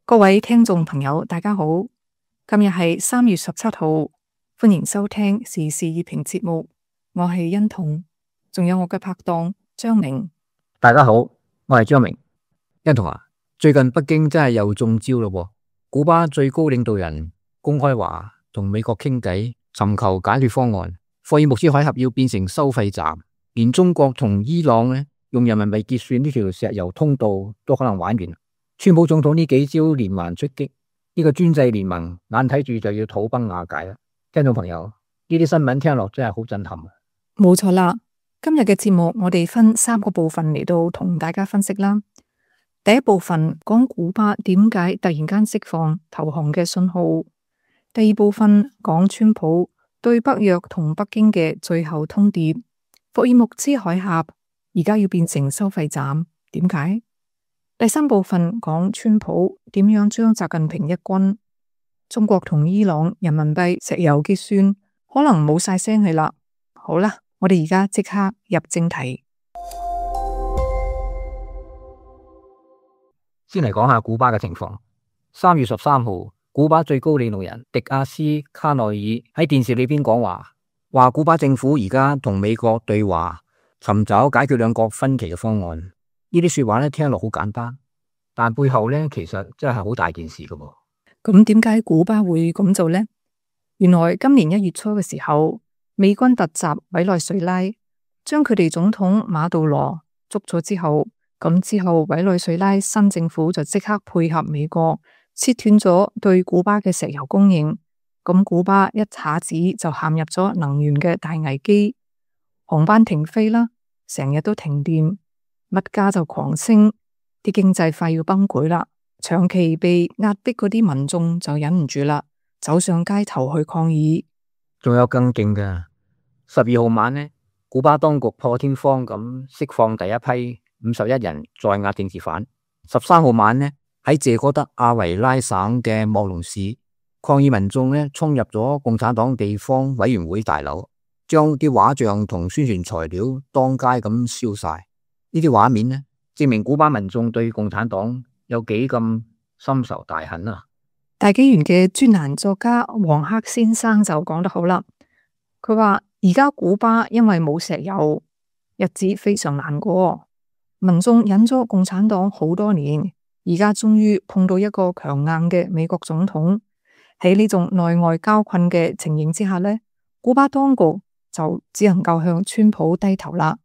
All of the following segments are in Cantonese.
各位聽眾朋友，大家好，今日係3月17號，歡迎收聽時事熱評節目，我係欣彤，仲有我嘅拍檔張明。大家好，我係張明。欣彤啊，最近北京真係又中招咯喎！古巴最高領導人公開話同美國傾偈，尋求解決方案。霍爾木茲海峽要變成收費站，連中國同伊朗呢用人民幣結算呢條石油通道都可能玩完。川普總統呢幾招連環出擊，呢個專制聯盟眼睇住就要土崩瓦解啦。聽眾朋友，呢啲新聞聽落真係好震撼啊！冇錯啦，今日嘅節目我哋分3個部分嚟到同大家分析啦。第一部分講古巴點解突然間釋放投降嘅信號，第二部分講川普對北約同北京嘅最後通牒，霍爾木茲海峽而家要變成收費站，點解？第三部分講川普點樣將習近平一軍，中國同伊朗人民幣石油結算可能冇晒聲氣啦。好啦，我哋而家即刻入正題。先嚟講下古巴嘅情況。3月13號，古巴最高領導人迪亞斯卡內爾喺電視裏邊講話古巴政府而家同美國對話，尋找解決兩國分歧嘅方案。呢啲說話咧聽落好簡單，但背後咧其實真係好大件事噶噃。咁點解古巴會咁做呢？原來今年1月初嘅時候，美軍突襲委內瑞拉，將佢哋總統馬杜羅捉咗之後，委內瑞拉新政府就即刻配合美國，切斷咗對古巴嘅石油供應。咁古巴一下子就陷入咗能源嘅大危機，航班停飛啦，成日都停電。物價就狂升，啲經濟快要崩潰啦。長期被壓迫嗰啲民眾就忍唔住啦，走上街頭去抗議。仲有更勁嘅，12號晚呢，古巴當局破天荒咁釋放第一批51人在押政治犯。13號晚呢，喺謝哥德阿維拉省嘅莫龍市，抗議民眾呢衝入咗共產黨地方委員會大樓，將啲畫像同宣傳材料當街咁燒晒。呢啲畫面呢，證明古巴民眾對共產黨有幾咁深仇大恨啊！大紀元嘅專欄作家黃克先生就講得好啦，佢話而家古巴因為冇石油，日子非常難過，民眾忍咗共產黨好多年，而家終於碰到一個強硬嘅美國總統。喺呢種內外交困嘅情形之下呢，古巴當局就只能夠向川普低頭啦。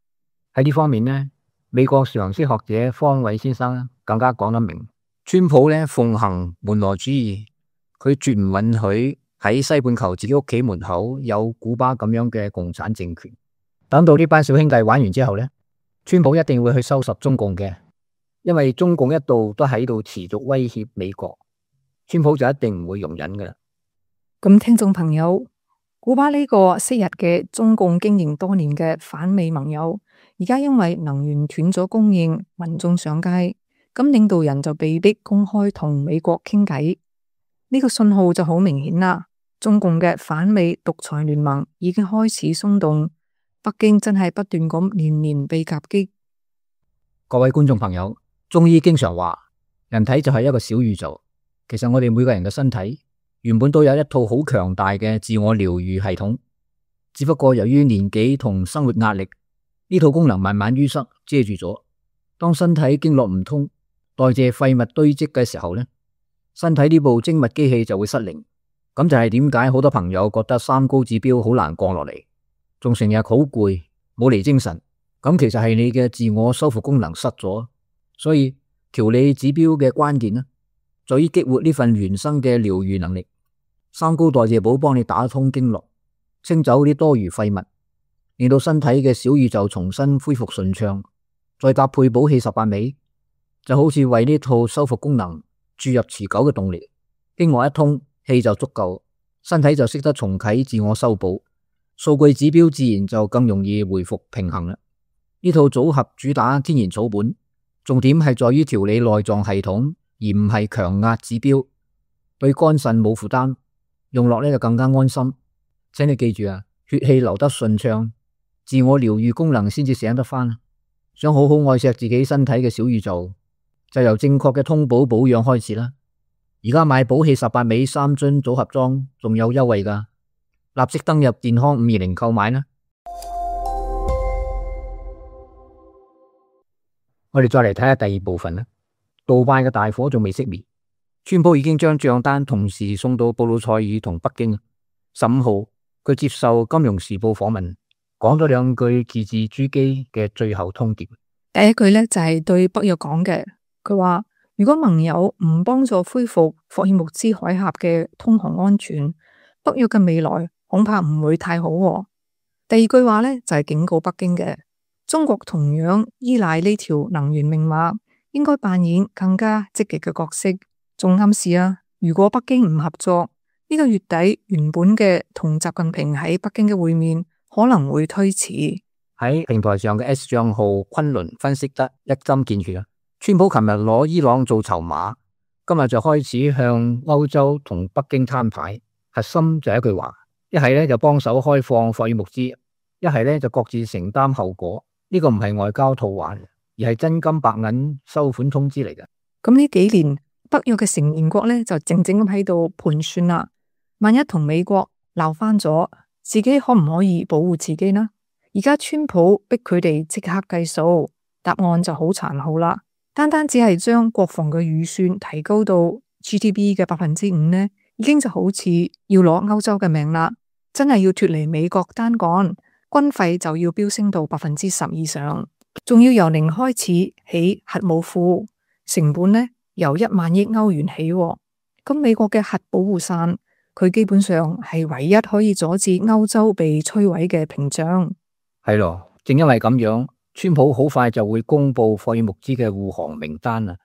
喺呢方面呢，美國常識學者方偉先生更加講得明，川普呢奉行門羅主義，佢絕唔允許喺西半球自己屋企門口有古巴咁樣嘅共產政權。等到呢班小兄弟玩完之後呢，川普一定會去收拾中共嘅，因為中共一度都喺度持續威脅美國，川普就一定唔會容忍噶啦。咁聽眾朋友，古巴呢個昔日嘅中共經營多年嘅反美盟友，而家因為能源斷咗供應，民眾上街，咁領導人就被逼公開同美國傾偈。呢個信號就好明顯啦，中共嘅反美獨裁聯盟已經開始鬆動，北京真係不斷咁年年被夾擊。各位觀眾朋友，中醫經常話人體就係一個小宇宙，其實我哋每個人嘅身體原本都有一套好強大嘅自我療愈系統，只不過由於年紀同生活壓力，呢套功能慢慢淤塞遮住咗。當身體經絡唔通，代謝廢物堆積嘅時候呢，身體呢部精密機器就會失靈。咁就係點解好多朋友覺得三高指標好難降落嚟，仲成日好攰，冇嚟精神。咁其實係你嘅自我修復功能失咗。所以調理指標嘅關鍵呢，在於激活呢份原生嘅療愈能力。三高代謝寶幫你打通經絡，清走啲多餘廢物，令到身體嘅小宇宙重新恢復順暢。再搭配補氣18味，就好似為呢套修復功能注入持久嘅動力。經絡一通，氣就足夠，身體就識得重啟自我修補，數據指標自然就更容易回復平衡啦。呢套組合主打天然草本，重點係在於調理內臟系統，而唔係強壓指標，對肝腎冇負擔，用落呢就更加安心。請你記住啊，血氣流得順暢，自我療愈功能先至醒得返。想好好愛惜自己身體嘅小宇宙，就由正確嘅通補保養開始啦。而家買寶氣18味3樽組合裝仲有優惠㗎，立即登入健康520購買啦。我哋再嚟睇下第二部分啦。杜拜嘅大火仲未熄滅，川普已經將賬單同時送到布魯塞爾同北京。15號佢接受《金融時報》訪問，講咗兩句字字珠璣嘅最後通牒。第一句呢，就係對北約講嘅，佢話如果盟友唔幫助恢復霍爾木茲海峽嘅通航安全，北約嘅未來恐怕唔會太好喎。第二句話呢，就係警告北京嘅，中國同樣依賴呢條能源命脈，應該扮演更加積極嘅角色。仲暗示啊，如果北京唔合作，呢個月底原本嘅同習近平喺北京嘅會面可能會推遲。喺平台上嘅 S 賬號昆侖分析得一針見血啊！川普琴日攞伊朗做籌碼，今日就開始向歐洲同北京攤牌，核心就係一句話：一係咧就幫手開放霍爾木茲，一係咧就各自承擔後果。呢個唔係外交套話，而係真金白銀收款通知嚟嘅。咁呢幾年北約嘅成員國咧就靜靜咁喺度盤算啦，萬一同美國鬧翻咗，自己可唔可以保護自己呢？而家川普逼佢哋即刻計數，答案就好殘酷啦。單單只係將國防嘅預算提高到 GDP 嘅5%呢，已經就好似要攞歐洲嘅命啦。真係要脫離美國單幹，軍費就要飆升到10%以上，仲要由零開始起核武庫，成本呢由1萬億歐元起。咁美國嘅核保護傘，佢基本上係唯一可以阻止歐洲被摧毀嘅屏障。係咯，正因為咁樣，川普好快就會公布霍爾木茲嘅護航名單啦。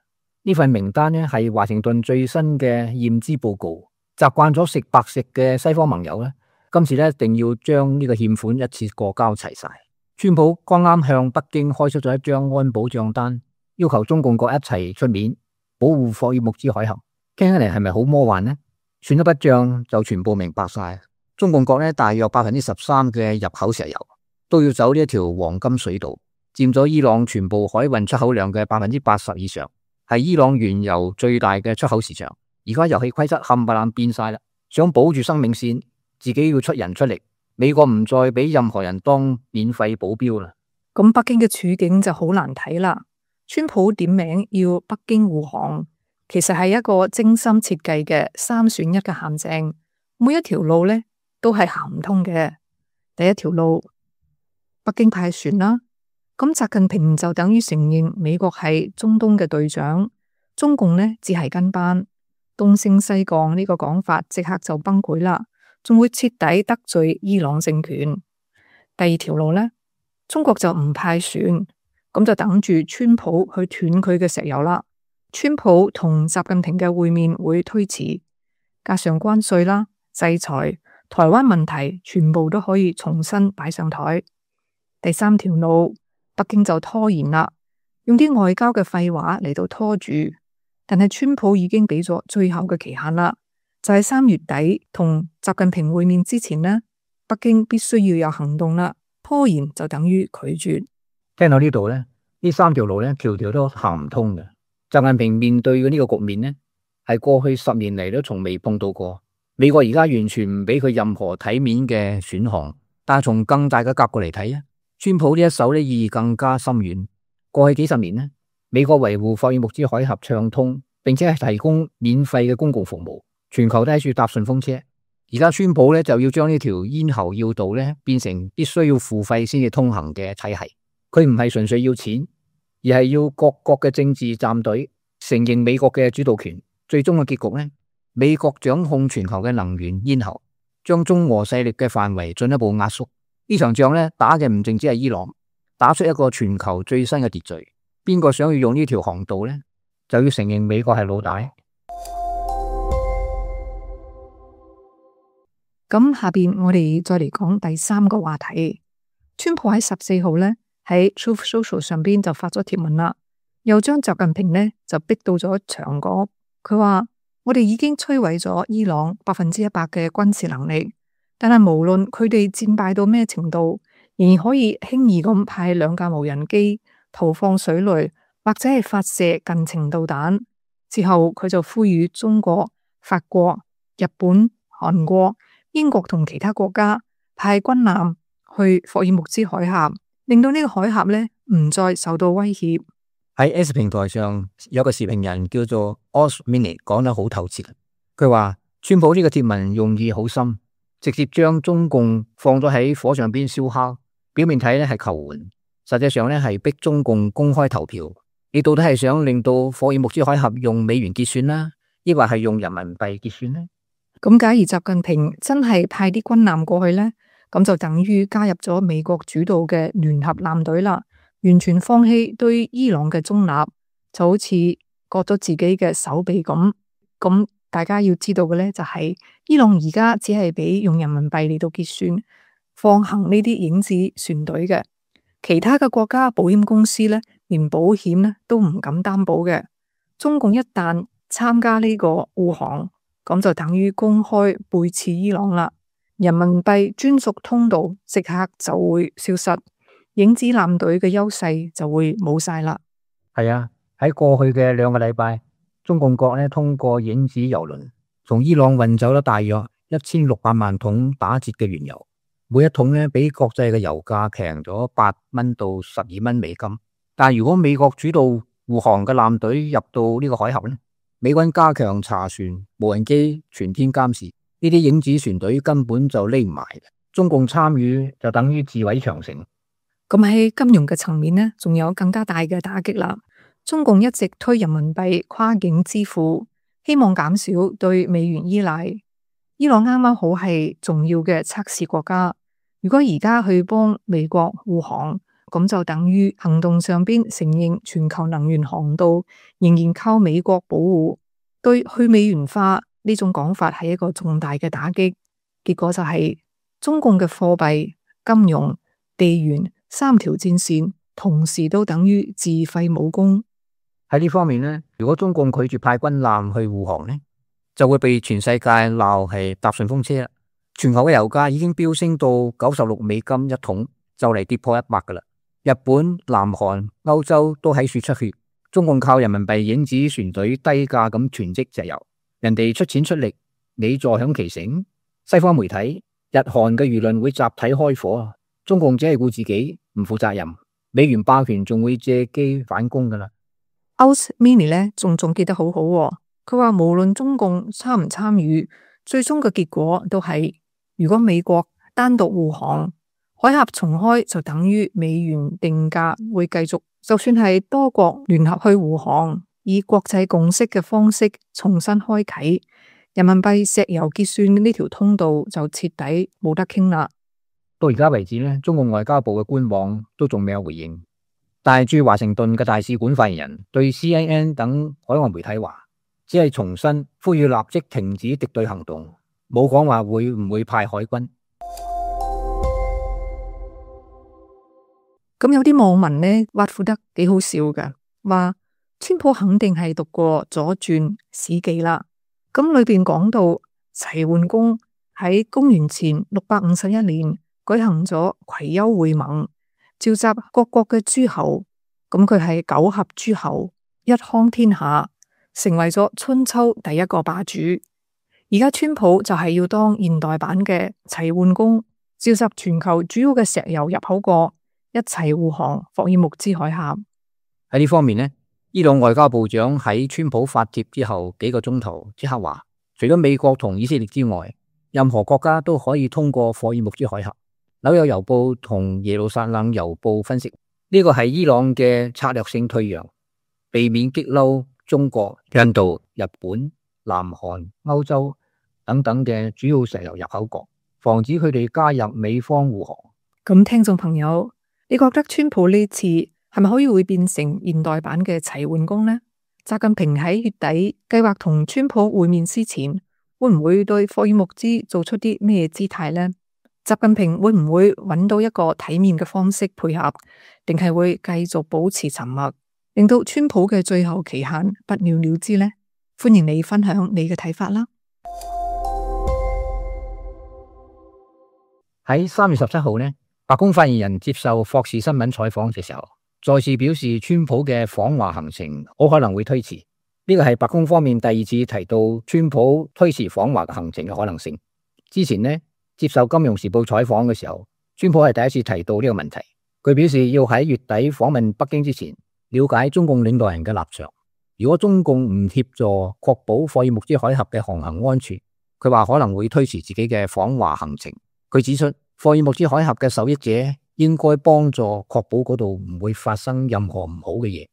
呢份名單呢係華盛頓最新嘅驗資報告。習慣咗食白食嘅西方盟友呢，今次呢一定要將呢個欠款一次過交齊晒。川普剛啱向北京開出咗一張安保賬單，要求中共國一齊出面保護霍爾木茲海峽。聽起嚟係咪好魔幻呢？算一筆賬就全部明白晒。中共國呢大約13%嘅入口石油都要走呢一條黃金水道，佔咗伊朗全部海運出口量嘅80%以上，係伊朗原油最大嘅出口市場。而家遊戲規則冚唪唥變晒啦，想保住生命線，自己要出人出力。美國唔再俾任何人當免費保鏢啦。咁北京嘅處境就好難睇啦。川普點名要北京護航，其實係一個精心設計嘅3選1嘅陷阱，每一條路呢都係行唔通嘅。第一條路，北京派船啦，咁習近平就等於承認美國係中東嘅隊長，中共呢只係跟班，東升西降呢個講法即刻就崩潰啦，仲會徹底得罪伊朗政權。第二條路呢，中國就唔派船，咁就等住川普去斷佢嘅石油啦。川普同習近平嘅會面會推遲，加上關稅啦、制裁、台灣問題，全部都可以重新擺上台。第三條路，北京就拖延啦，用啲外交嘅廢話嚟到拖住。但係川普已經俾咗最後嘅期限啦，就係3月底同習近平會面之前呢，北京必須要有行動啦。拖延就等於拒絕。聽到呢度呢，呢3條路呢，條條都行唔通嘅。習近平面對嘅呢個局面呢，係過去10年嚟都從未碰到過。美國而家完全唔俾佢任何體面嘅選項。但係從更大嘅格局嚟睇啊，川普呢一手呢意義更加深遠。過去幾十年呢，美國維護霍爾木茲海峽暢通，並且係提供免費嘅公共服務，全球都喺處搭順風車。而家川普呢就要將呢條咽喉要道呢變成必須要付費先至通行嘅體系。佢唔係純粹要錢，而係要各國嘅政治站隊承認美國嘅主導權。最終嘅結局呢，美國掌控全球嘅能源咽喉，將中俄勢力嘅範圍進一步壓縮。呢場仗呢打嘅唔淨止係伊朗，打出一個全球最新嘅秩序。邊個想要用呢條航道呢，就要承認美國係老大。咁下邊我哋再嚟講第3個話題。川普喺14號呢喺 Truth Social 上邊就發咗貼文啦，又將習近平呢就逼到咗牆角。佢話我哋已經摧毀咗伊朗100%嘅軍事能力，但係無論佢哋戰敗到咩程度，仍然可以輕易咁派2架無人機投放水雷或者係發射近程導彈。之後佢就呼籲中國法國、日本、韓國、英國同其他國家派軍艦去霍爾木茲海峽，令到呢個海峽呢唔再受到威脅。喺 S 平台上有個時評人叫做 Osmini 講得好透徹，佢話川普呢個貼文用意好深，直接將中共放咗喺火上邊燒烤，表面睇呢係求援，實際上呢係逼中共公開投票。你到底係想令到霍爾木茲海峽用美元結算啦，抑或係用人民幣結算呢？咁假如習近平真係派啲軍艦過去呢，咁就等於加入咗美國主導嘅聯合艦隊啦，完全放棄對伊朗嘅中立，就好似割咗自己嘅手臂咁。咁大家要知道嘅呢，就係伊朗而家只係俾用人民幣嚟到結算，放行呢啲影子船隊嘅，其他嘅國家保險公司呢，連保險呢都唔敢擔保嘅。中共一旦參加呢個護航，咁就等於公開背刺伊朗啦。人民幣專屬通道即刻就會消失，影子艦隊嘅優勢就會冇晒啦。係啊，喺過去嘅2個禮拜，中共國呢通過影子油輪從伊朗運走咗大約1600萬桶打折嘅原油，每一桶呢比國際嘅油價平咗8蚊到12蚊美金。但係如果美國主導護航嘅艦隊入到呢個海峽呢，美軍加強查船，無人機全天監視，呢啲影子船隊根本就匿唔埋，中共參與就等於自毀長城。咁喺金融嘅層面呢，仲有更加大嘅打擊啦。中共一直推人民幣跨境支付，希望減少對美元依賴。伊朗啱啱好係重要嘅測試國家，如果而家去幫美國護航，咁就等於行動上邊承認全球能源航道仍然靠美國保護，對去美元化呢種講法係一個重大嘅打擊。結果就係中共嘅貨幣、金融、地緣3條戰線同時都等於自廢武功。喺呢方面呢，如果中共拒絕派軍艦去護航呢，就會被全世界鬧係搭順風車啦。全球嘅油價已經飆升到96美金一桶，就嚟跌破100噶啦。日本、南韓、歐洲都喺處出血，中共靠人民幣影子船隊低價咁囤積石油，人哋出錢出力，你坐享其成。西方媒體、日韓嘅輿論會集體開火，中共只係顧自己，唔負責任，美元霸權仲會借機反攻噶啦。Osmini 呢仲總結得好好，佢話無論中共參唔參與，最終嘅結果都係，如果美國單獨護航，海峽重開就等於美元定價會繼續，就算係多國聯合去護航，以國際共識嘅方式重新開啟，人民幣石油結算呢條通道就徹底冇得傾啦。到而家為止呢，中共外交部嘅官網都仲未有回應。但係駐華盛頓嘅大使館發言人對 CNN 等海外媒體話，只係重申呼籲立即停止敵對行動，冇講話會唔會派海軍。咁有啲網民呢，挖苦得幾好笑㗎，話川普肯定係讀過左傳史記啦。咁裏邊講到齊桓公喺公元前651年舉行咗葵丘會盟，召集各國嘅諸侯，咁佢係9合諸侯，一匡天下，成為咗春秋第一個霸主。而家川普就係要當現代版嘅齊桓公，召集全球主要嘅石油入口國，一齊護航霍爾木茲海峽。喺呢方面呢，伊朗外交部長喺川普發帖之後幾個鐘頭即刻話，除咗美國同以色列之外，任何國家都可以通過霍爾木茲海峽。紐約郵報同耶路撒冷郵報分析，呢個係伊朗嘅策略性退讓，避免激嬲中國、印度、日本、南韓、歐洲等等嘅主要石油入口國，防止佢哋加入美方護航。咁聽眾朋友，你覺得川普呢次係咪可以會變成現代版嘅齊桓公呢？習近平喺月底計劃同川普會面之前，會唔會對霍爾木茲做出啲咩姿態呢？習近平會唔會揾到一個體面嘅方式配合，定係會繼續保持沉默，令到川普嘅最後期限不了了之呢？歡迎你分享你嘅睇法啦！喺3月17號呢，白宮發言人接受霍士新聞採訪嘅時候，再次表示川普嘅訪華行程好可能會推遲。呢個係白宮方面第二次提到川普推遲訪華行程嘅可能性。之前呢，接受《金融時報》採訪嘅時候，川普係第一次提到呢個問題。佢表示要喺月底訪問北京之前，了解中共領導人嘅立場。如果中共唔協助確保霍爾木茲海峽嘅航行安全，佢話可能會推遲自己嘅訪華行程。佢指出，霍爾木茲海峽嘅受益者應該幫助確保嗰度唔會發生任何唔好嘅嘢。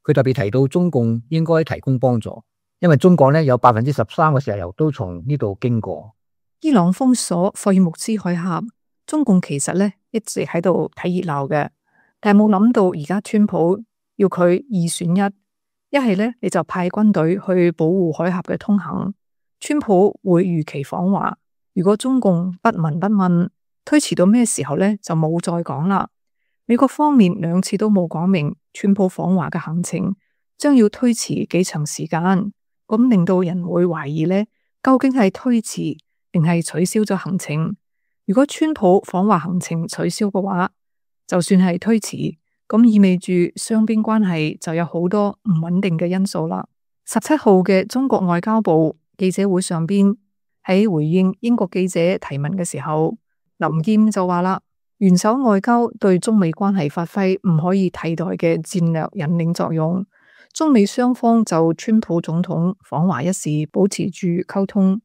佢特別提到中共應該提供幫助，因為中國呢有13%嘅石油都從呢度經過。伊朗封鎖霍爾木茲海峽，中共其實呢一直喺度睇熱鬧嘅，但係冇諗到而家川普要佢二選一，一係呢你就派軍隊去保護海峽嘅通行，川普會如期訪華。如果中共不聞不問，推遲到咩時候呢就冇再講啦。美國方面2次都冇講明川普訪華嘅行程將要推遲幾長時間，咁令到人會懷疑呢究竟係推遲定係取消咗行程。如果川普訪華行程取消嘅話，就算係推遲，咁意味住雙邊關係就有好多唔穩定嘅因素啦。17號嘅中國外交部記者會上邊，喺回應英國記者提問嘅時候，林謙就話啦，元首外交對中美關係發揮唔可以替代嘅戰略引領作用。中美雙方就川普總統訪華一事保持住溝通，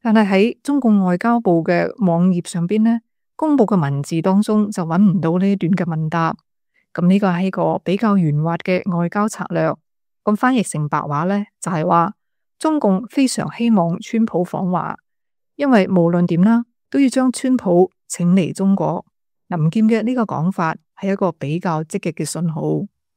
但係喺中共外交部嘅網頁上邊呢，公布嘅文字當中就揾唔到呢一段嘅問答。咁呢個係一個比較圓滑嘅外交策略。咁翻譯成白話呢，就係話中共非常希望川普訪華，因為無論點啦，都要將川普請嚟中國。林劍嘅呢個講法係一個比較積極嘅信號。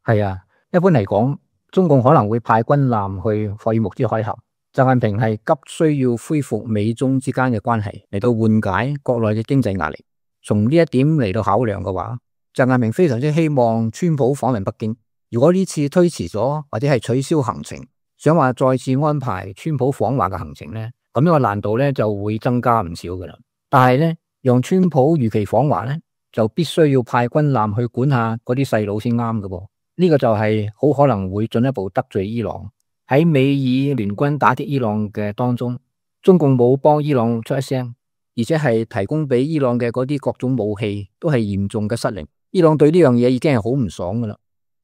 係啊，一般嚟講，中共可能會派軍艦去霍爾木茲海峽。習近平係急需要恢復美中之間嘅關係，嚟到緩解國內嘅經濟壓力。從呢一點嚟到考量嘅話，習近平非常之希望川普訪問北京。如果呢次推遲咗或者係取消行程，想話再次安排川普訪華嘅行程呢，咁呢個難度呢就會增加唔少噶啦。但係呢，讓川普如期訪華呢，就必須要派軍艦去管下嗰啲細佬先啱嘅噃。呢個就係好可能會進一步得罪伊朗。喺美以聯軍打擊伊朗嘅當中，中共冇幫伊朗出一聲，而且係提供俾伊朗嘅嗰啲各種武器都係嚴重嘅失靈。伊朗對呢樣嘢已經係好唔爽噶啦。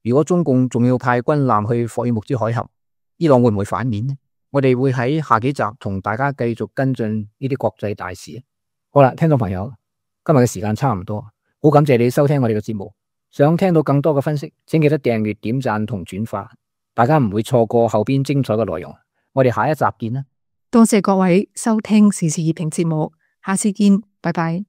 如果中共仲要派軍艦去霍爾木茲海峽，伊朗會唔會反面呢？我哋會喺下幾集同大家繼續跟進呢啲國際大事。好啦，聽眾朋友，今日嘅時間差唔多，好感謝你收聽我哋嘅節目。想聽到更多嘅分析，請記得訂閱、點讚同轉發，大家唔會錯過後邊精彩嘅內容。我哋下一集見啦！多謝各位收聽時事熱評節目，下次見，拜拜。